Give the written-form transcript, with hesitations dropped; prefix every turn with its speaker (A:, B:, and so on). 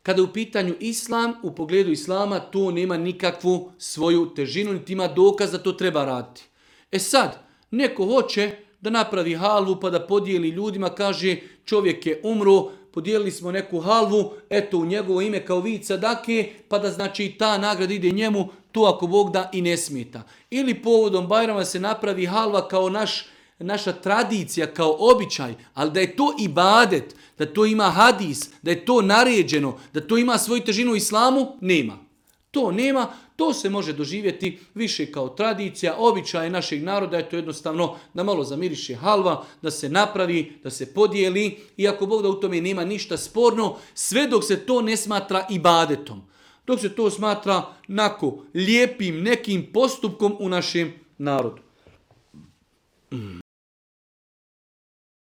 A: Kada je u pitanju islam, u pogledu islama, to nema nikakvu svoju težinu, niti ima dokaz da to treba raditi. E sad, neko hoće da napravi halvu pa da podijeli ljudima, kaže čovjek je umro, podijelili smo neku halvu, eto u njegovo ime kao vid sadake, pa da znači ta nagrada ide njemu, to ako Bog da i ne smeta. Ili povodom Bajrama se napravi halva kao naša tradicija, kao običaj, ali da je to ibadet, da to ima hadis, da je to naređeno, da to ima svoju težinu u islamu, nema. To nema, to se može doživjeti više kao tradicija, običaj našeg naroda, je to jednostavno da malo zamiriše halva, da se napravi, da se podijeli, i ako Bog da u tome nema ništa sporno, sve dok se to ne smatra ibadetom. Dok se to smatra lijepim nekim postupkom u našem narodu.